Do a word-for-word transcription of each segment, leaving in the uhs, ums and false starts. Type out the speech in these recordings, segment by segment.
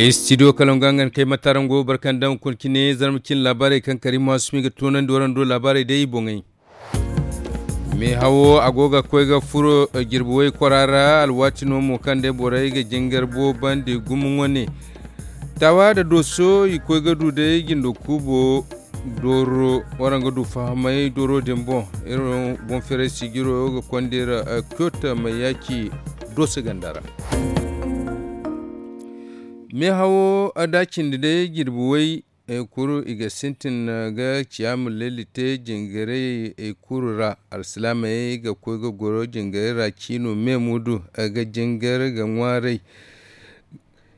Studio kalaŋ ga nga kay matarango barkandaŋ kuna cine zarma cine laabaarey kaŋ kari maasumi ga toonandi waraŋ do laabaarey day i boŋey. Meehawo a go ga koy ga furo jirbi way kwara ra alwaati no mo kaŋ day borey ga jingar boobandi gumo wane. Taawa nda dooso i koy ga du day jindo kuubo dooro waraŋ ga du fahamay dooro din boŋ. Iri boŋ feeray sijiro ga konda iri kyoto may yaaci dooso ganda ra. Meehawo da cindi day jirbi way kuru i ga sintin ga ciyaama leeli te jingaray kuru ra alsilaamey ga koy ga goro jingaray ra ciino me muudu ga jingar ga ŋwaaray.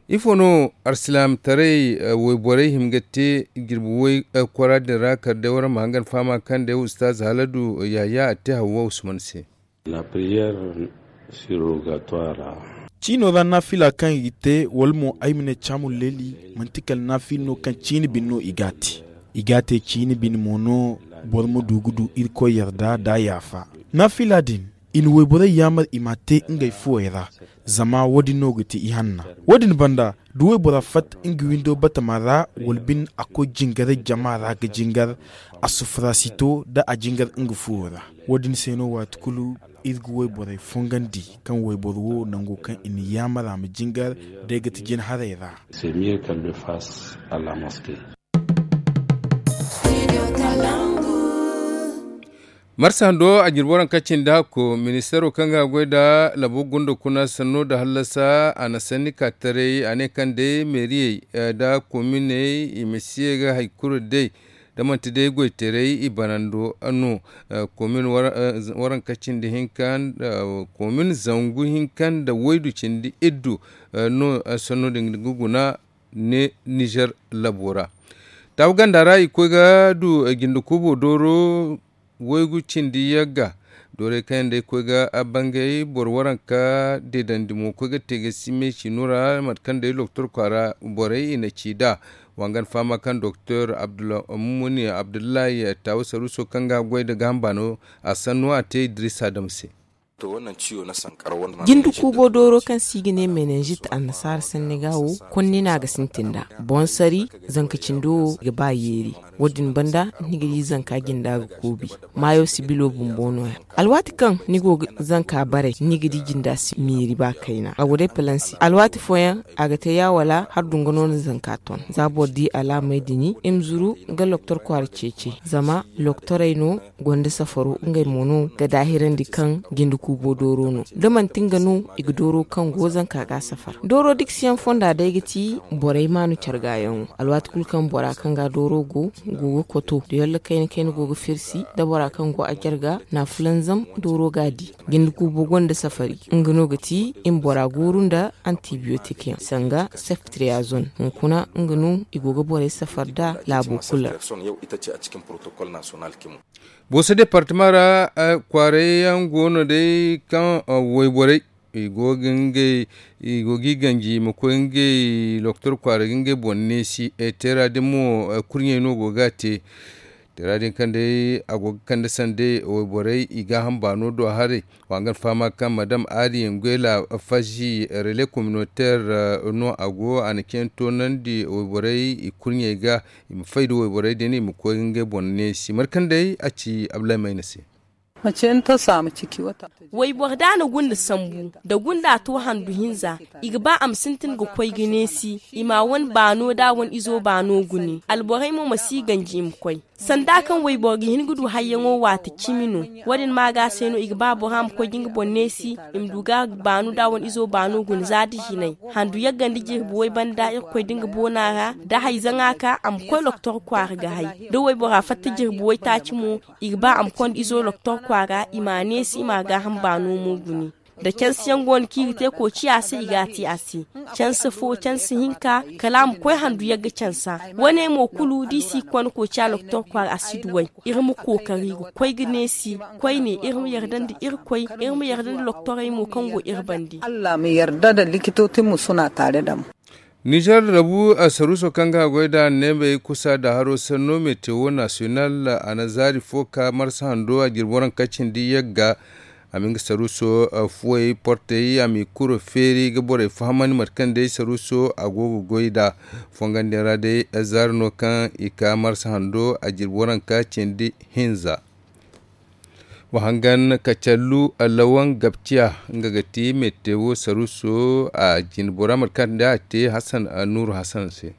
Ifo no alsilaamtaray wayborey hima ga te jirbi way kwara din ra kala day waraŋ ma hangan fahama kaŋ day ustaaz haladu yahaya a te hawwa usman se. Ciino ra naafila kaŋ i ga te wala mo ay ma ne caamun leeli, manti kala naafila no kaŋ ciini bine no i g'a te. I g'a te ciini bine mo no boro ma du ga du irkoy yarda da yaafa. Naafila din i na wayborey yaamar i m'a te ngey fuwey ra. Zama wo- din no ga ti ihanna. Wo- din banda da waybora fatta nga windo batama ra wala bine a koy jingaray jama ra ga jingar, a sufura si to da a jingar nga fuwo ra. Wo- din se no waati kulu iri ga wayborey fongandi kaŋ wayboro wo nango kaŋ i na yaamar a ma jingar day ga ti jin haray ra. Marsa hando a jirbi waraŋ kaŋ cindi hakko ministeero kaŋ ga goy nda labo gunda kuna sanno nda hallasa a na sanni ka taray a ne kaŋ day meeriyey nda kominey i ma si ye ga hari kulu day da manti day goytaray i banando no. Komin waraŋ kaŋ cindi hinka komin zangu hinka nda waydu cindi iddu no sanno din ga guna ne nizer labo ra. Taabu ganda ra i koy ga du jinde kuubo dooro waygu cindi yagga. Doorey kaŋ yaŋ day koy ga bangay boro waranka deedandi mo koy ga te ga si meesi no ra mate kaŋ day doktor kwaara borey i na ci nd'a. Wangan fahama kaŋ doktor mumuni abdullahi taabu saruuso kaŋ ga goy nda gaaham baano a sanno a te idris adam se. Jinde kuubo dooro kaŋ se i ga ne menenjit annasaara sanni ga wo konni no a ga sintin nd'a. Boŋ sari zanka cindo wo ga ba yeeri. Wo- din banda ni ga di zanka jinda ga koobi. Maayo sibilo bumbo no- ya alwaati kaŋ ni go ga zanka bare ni ga di jinda si miiri ba kayna a go day palansi alwaati fooyaŋ a ga te ya wala har dunga no na zanka ton. Za boro di alaamey din i ma zuru ga loktor kwaara ceeci zama loktorey no gonda safaro ngey mo no ga daahirandi kaŋ jinde kuubo dooro no da manti nga no i ga dooro kaŋ go zanka ga safar dooro dikasiyaŋ fonda day ga ti borey maanu care gaayaŋo. Alwaati kulu kaŋ bora kaŋ ga dooro go go ga koto da yalla kayna kayna go ga firsi da bora kaŋ go a care ga na fulanzam dooro ga a di. Jinde kuubo gonda safari nga no ga ti i ma bora gooru nda antibiyotik yaŋ sanga seftriyazon hunkuna nga no i go ga borey safar nd'a laabo kulu ra. Booso departama ra kwaaray yaŋ go no day kaŋ wayborey i go ga ngey i go ga i ganji i ma koy ngey loktor kwaara ga ngey boŋ neesi. Teera din mo kurɲey no go ga a te. Teera din kaŋ day a go ga kande sanda wayborey i gaaham baano do haray. Wa nga fahama kaŋ madam ari nguela fazi relais communautaire no a go a na cine toonandi wayborey i kurɲey ga i ma fay da wayborey din i ma koy ga ngey boŋ neesi mate kaŋ day a ci ablahi mayna se. Wayboro da a na gunda sambu da gunda to handu hinza i ga ba a ma sintin ga koy ga neesi i ma a wane baano da a wane izo baano gune alborey mo ma si ganji i ma koy. Sanda kaŋ wayboro ga hin ga du hayyaŋo waati cimi no. Wo- din ma ga se no i ga ba bora ma koy ga nga boŋ neesi i ma du ga baano da a wane izo baano gune za da hinay handu yagga nda jirbi way banda irkoy da nga boona ra da hayzaŋa ka a ma koy loktor kwaara ga hay da waybora fatta jirbi waytaaci mo i ga ba a ma konda izo loktor kwaara i ma a neesi i ma a gaaham baano mo gune. Da cansiyaŋ go no kaŋ i ga te koociya se i ga a te a se. Cansi fo cansi hinka kala a ma koy handu yagga cansa. Wo- ne mo kulu da i si konda koociya loktor kwaara a si duw'ey. Iri ma kookari ga koy ga neesi koyne iri ma yarda nda irkoy iri ma yarda nda loktorey mo kaŋ go iri bande. Nizer rabu saruuso kaŋ ga a goy nd'a neebey kusa nda haro sanno metewo nasiyonal a na zaari fo ka marsa hando a jirbi waranka cindi yagga. A ma nga saruuso fuwey portey a m'i kuro feeri ga borey fahamandi mate kaŋ day saruuso a go ga goy nd'a. Fongandiyaŋ ra day zaari no kaŋ i ka marsa hando a jirbi waranka cindi hinza. Wa hangan kacallu lawan gabciya nga ga ti metewo saruuso a jinbora mate kaŋ day a te hasan nuuru hasan se.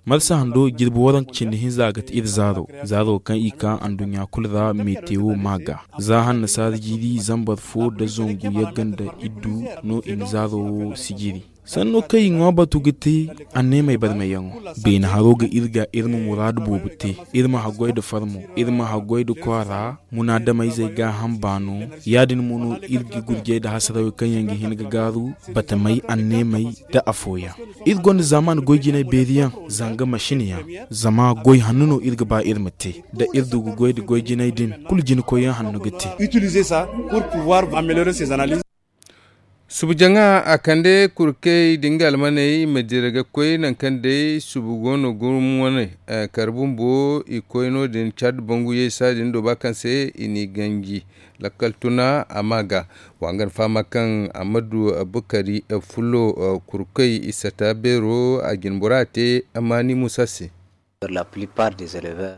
Marsa hando jirbi waranka cindi hinza ga ti iri zaaro zaaro kaŋ i ka anduɲɲa kulu ra metewo ma ga za hannasaara jiiri zambar fo nda zangu yagga nda iddu no i na zaaro wo sijiri. Sanno kaŋ i ŋwa batu ga te anneemey barmayyaŋo. Beene haro ga iri ga iri ma muraadu boobo te. Iri ma haggoy nda farmo iri ma haggoy nda kwaara. Munaadamayzey gaaham baano. Ya-din mo no iri ga gurjey nda hasarawey kaŋ yaŋ ga hin ga gaaru batamey anneemey nda afooyaŋ. Iri gonda zaamaani goy jinay beeri yaŋ zanga masin yaŋ. Zama goy hanno no iri ga ba iri ma te. Da iri du ga goy nda goy jinay din kulu jina koyyaŋ hanno ga te. Subu jaŋa a kande kurkey da nga almaney i ma dira ga koy nangu kaŋ day subu go no gurum wane. Kala bumbo i koy no- din cad bangu yaysa din do ba kaŋ se i n'i ganji. Lakkal tuna a ma ga wa nga na fahama kaŋ a ma du bukari fulo kurkey i sata beero a jinbora te. Amma ni musa se.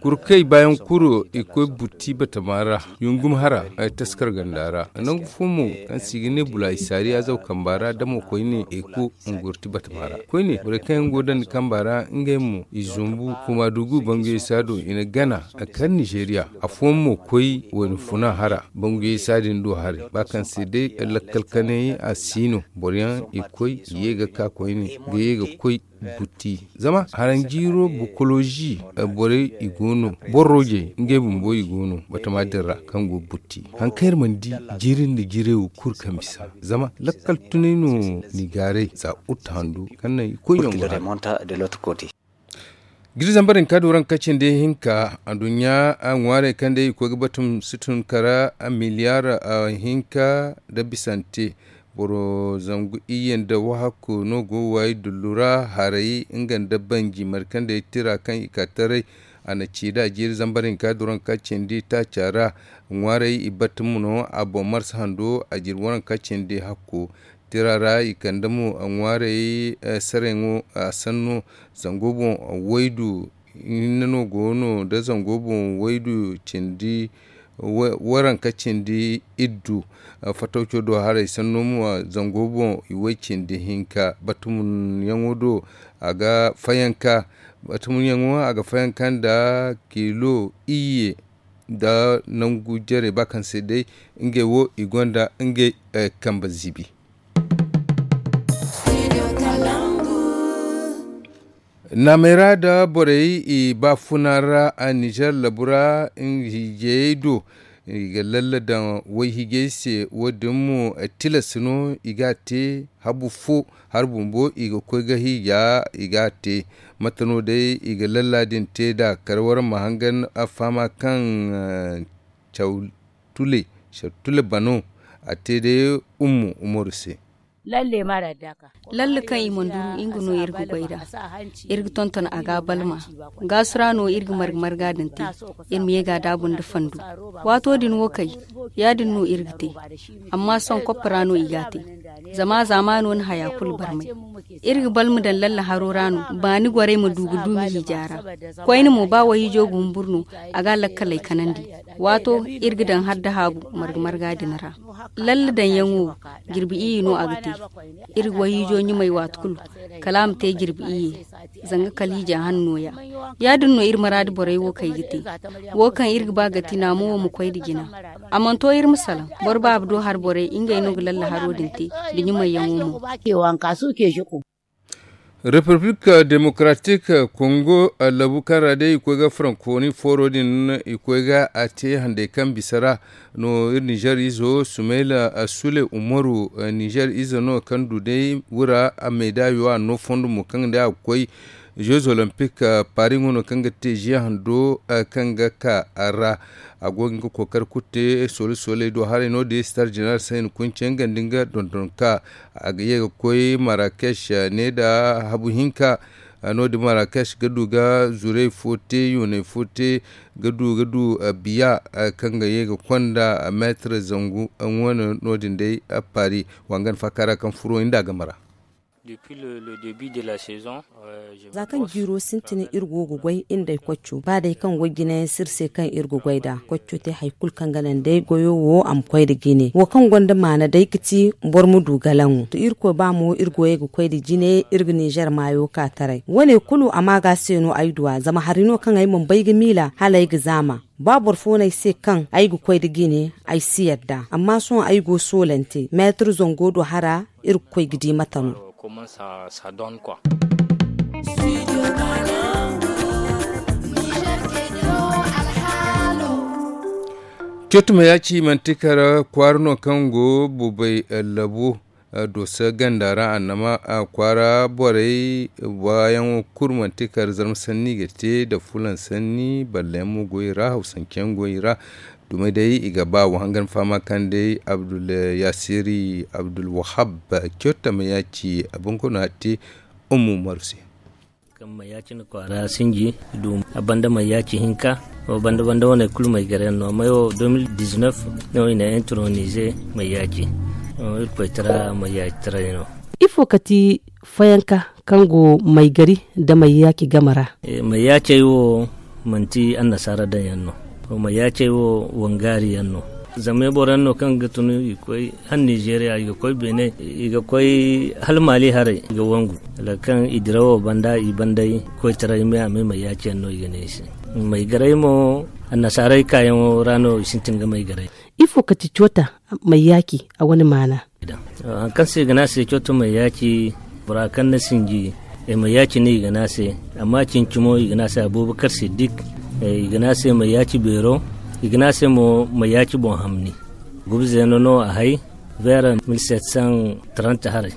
Kurkey baayaŋ kuro i koy butti batama ra yungum hara. Taskar ganda ra nangu fo mo kaŋ se i ga ne bula isaari azaw kamba ra damo koyne i ku ngurti batama ra koyne borey kaŋ yaŋ go dandi kamba ra ngey mo i zumbu kuma dugu banguyey saado i na gana. Kala nizeeriya afooyaŋ mo koy wayna funa hara banguyey saadin do haray ba kaŋ se day lakkal kanay a si no boro yaŋ i koy i ye ga ka koyne ga ye ga koy butti. Zama haranjiiro bokolozi borey i go no borrojey ngey bumbo i go no batama din ra kaŋ go butti. Haŋ kaŋ iri mana di jiiri nda jiiray wo kulu kaŋ bisa zama lakkal tunay no ni gaaray za uta handu kaŋ naŋ i koy yaŋ go hara. Giri zambar hinka duran kacin da hinka anduɲɲa ŋwaarey kaŋ day i koy ga batum si tun kara miliyaar hinka nda bisante. Boro zangu iyye nda wahakku no go ga waayi dullu ra haray nga nda banji markandey tira kaŋ i ka taray. A na ci da a jiiri zambar hinka duran ka cindi taaca ra. Ŋwaarey i batum no a boŋ marsa hando a jiiri waranka cindi hakku. Tira ra i kande mo ŋwaarey sarayaŋo a sanno zango boŋ waydu hinne no go no nda zango boŋ waydu cindi waranka cindi iddu. Fatawco do haray sanno mo zango boŋ i way cindi hinka batumunyaŋo do a ga fayanka batumunyaŋo a ga fayanka nda kilo iyye nda nangu jare ba kaŋ se day ngey wo i gonda ngey kambe zibi. Naamey ra nda borey i baafuna ra a nizer labu ra hiijayey do i ga lalle daŋ wayhiijay se wo- din mo tilas no i ga a te habu fo hari bumbo i ga koy ga hiija i ga a te. Mate no day i ga lalla din te nd'a kala waraŋ ma hangan a fahama kaŋ caw tule caw tule bano a te day ummu umaru se. Lalle kaŋ i mana duru nga no iri ga goy nd'a. Iri ga tonton a ga balma gaasu ra no iri ga marga marga din te. Iri ma ye ga a daabu nda fandu waato din wo kay ya- din no iri ga te. Amma sohõ koppa ra no i g'a te zama zaamaano na haya kulu barmay. Iri ga balma daŋ lalle haro ra no baani gorey ma du ga duumi hiija ra. Koyne mo ba wayhiijo ga humbur no a ga a lakkaley kanandi. Waato iri ga daŋ har dahaabu marga marga din ra. Lalle daŋyaŋo wo jirbi iyye no a ga te. Iri ga wayhiijo ɲumay waati kulu kala a ma te jirbi iyye. Zanga kala hiija han nooya. Ya- din no iri maraadi borey wo kaŋ i ga te wo kaŋ iri ga ba ga ti naamo wo ma koy nda jina. A mana to iri ma salaŋ boro baaba do hari borey ngey no ga lalle haro din te nda ɲumayyaŋo mo. Republique démocratique kongo labu kaŋ ra day i koy ga francophonie fooro din i koy ga a te handay kaŋ bisa ra no iri nizer izo sumayla sule umaru nizer ize no kaŋ du day wura a meedaayo a no fondo mo kaŋ day a ga koy jeux olympique paris ŋo no kaŋ ga te ziya hando kaŋ ga ka a ra. A go ga nga kookari kulu te soole sooley do haray no- din star general sayni kunce nga nda nga dondonka a ga ye ga koy marrakech ne nda habu hinka. No- din marrakech ga du ga zurey fo te yooney fo te ga du ga du biya kaŋ ga ye ga konda meetar zangu. Wane no- din day paris wa hangan faaka ra kaŋ furo nda a game ra. Za kaŋ jiiro sintin iri go ga goy iri nd'ey kocco ba day kaŋ goy jinayaŋ si iri se kaŋ iri ga goy nd'a kocco te hari kulu kaŋ ga naŋ day goyo wo a ma koy nda jine wo kaŋ gonda maana day ga ti boro ma du galaŋo to irkoy ba mo iri goyey ga koy nda jine iri ga ninzeer maayo ka taray wane kulu a ma ga se no ay du a zama hari no kaŋ ay mana bay ga miila hala ay ga zaama. Ba boro fo no ay se kaŋ ay ga koy nda jine ay si yadda amma sohõ ay go soolante meetar zango do hara iri ga koy ga di mate no. Cotuma ya ci manti kar kwaara no kaŋ go bubay labu dooso ganda ra annama kwaara borey baayaŋo kulu manti kar zarma sanni ga te nda fulaŋ sanni ballayaŋ mo go i ra hawsanceyaŋ go i ra. Dumey day i ga ba wa hangan fahama kaŋ day abdul yasiri abdul wahab cotama ya ci a bonkoono hatti ummu umaru se. Kaŋ mayaci na kwaara sinji du a banda mayaci hinka wo banda banda wane kulu may gare yaŋ no amma wo deux mille dix-neuf no i na intronize mayaci. Irkoy tara mayaci taray no. Ifo ka ti fayanka kaŋ go may gari nda mayaci game ra? Mayaci ay wo manti annasaara daŋ yaŋ no. Mayaci ay wo wangaari yaŋ no. Zama boro yaŋ no kaŋ ga tun i ga koy hala nizeeriya i ga koy beene i ga koy hala maali haray i ga wangu. Kala kaŋ i dira wo banda i banday koytaray me a me mayaci yaŋ no i ga ne i se. May garay mo annasaarey kaayaŋo ra no i sintin ga may garay. Ifo ka ti coota mayaci a wane maana? Hari kaŋ se i ga ne a se cooto mayaci bora kaŋ na sinji mayaci no i ga ne a se. Amma cinci mo i ga ne a se abubakar siddik. I ga ne a se mayaci beero. I ga ne a se mo mayaci boŋ hamni. Gubizeeno no a hay vers mille sept cent trente haray.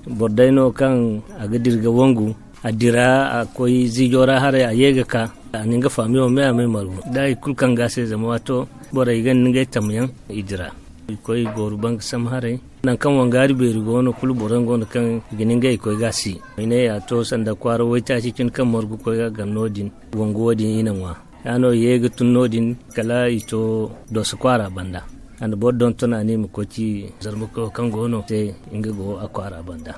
Boro day no kaŋ a ga dira ga wangu a dira a koy ziijo ra haray a ye ga ka a na nga faamiyo me a may margu da hari kulu kaŋ ga a se zama waato borey ga ni ngey tamyaŋ i dira. I koy i gooru banga sam haray. Nangu kaŋ wangaari beeri go no kulu boro yaŋ go no kaŋ i ga ni ngey koy ga a si. Ay ne a to sanda kwaara waytaaci cine kaŋ margu koy ga gar no- din wangu wo- din i na ŋwa. Ya no i ye ga tun no- din kala i to dooso kwaara banda. A na boro donton a ne i ma koy ci zarmakoyo kaŋ go no se nga go a kwaara banda.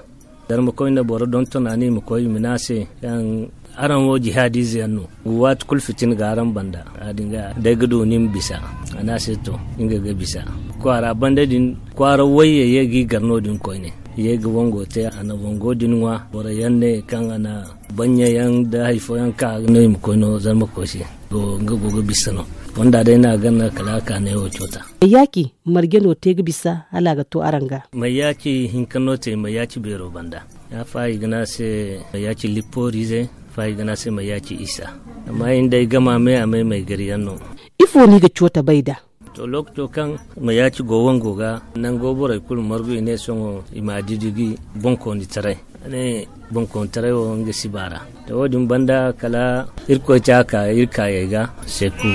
Zarmakoy na boro donton a ne i ma koy i ma ne a se kaŋ araŋ wo jihaadiize yaŋ no. Waati kulu fitina ga araŋ banda ya- din ga day ga du ni ma bisa. A ne a se to nga ga bisa kwaara banda din kwaara wayye ye ga i gar no- din koyne. Ye ga wango te a na wango din ŋwa boro yaŋ ne kaŋ a na banya yaŋ da hari fooyaŋ ka no i ma koy no zarma koy se. Nga go ga bisa no. Fonda day no a ganna kala a ka ne wo coota. Mayaaki marje no te ga bisa hala a ga to araŋ ga? Mayaaki hinka no te mayaaki beero banda. Ya fa i ga ne a se mayaaki lipporiize. Fa i ga ne a se mayaaki isa. Amma i nda ay gama me a may may gari yaŋ no. Ifo no i ga coota bay nd'a? To lookaco kaŋ mayaaki go wango ga nango borey kulu margu i ne sohõ i ma a didigi. Bonkooni taray a ne bonkooni taray wo nga si baara. To wo- din banda kala irkoy te a ka iri kaayey ga seeku.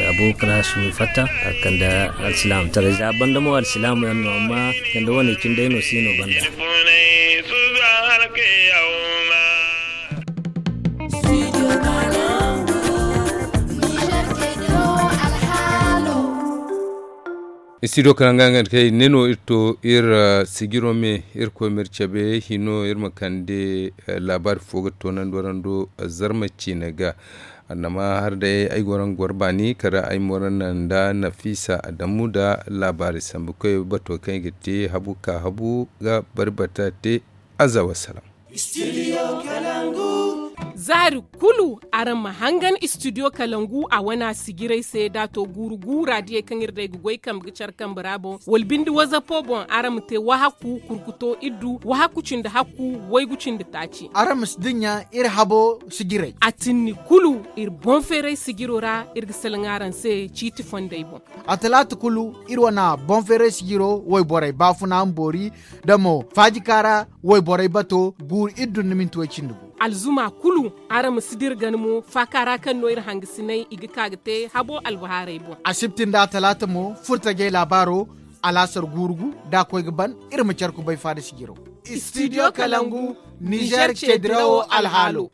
Abubakar hasumi fatta a kande alsilaamataray za banda mo alsilaamu yaŋ no amma kande wane cindey no si no banda. Studio kala nga nga kay ne no iri to iri sijiro me iri koy ma iri cabe hino iri ma kande laabaari fo ga toonandi warando. Zarma ciine ga annama har day ay go ra nga goro baani kala ay ma wara naŋ nda nafiisa adamu nda laabaari sambu koy bato kaŋ i ga te habu ka habu ga bari bata te. Aza wasalaam. Zaari kulu araŋ ma hangan studio kalangu a wana sijiray se da to guuru guura diyey kaŋ iri day ga goy kambe ga care kambe ra boŋ wala binde wazapo boŋ araŋ ma te wahaku kurkuto iddu wahaku cindi hakku waygu cindi taaci. Araŋ ma si dinya iri habo sijiray a tinni kulu iri boŋ feeray sijiro ra iri ga salaŋ araŋ se ciiti fondey boŋ. A talaata kulu iri wana boŋ feeray sijiro wayborey baafuna ma boori da mo faajika ra wayborey bato guuru iri dun na minti way cindi gu. Alzuma kulu araŋ ma si dira gana mo faaka ra kaŋ no iri hangasinay i ga ka ga te habo albahaarey boŋ. Asibti nda atalaata mo furtajey laabaaro alaasar guuru gu da a koy ga ban iri ma care kubay faada sijiro. Studio kalangu nizer ceedirawo alhaalo.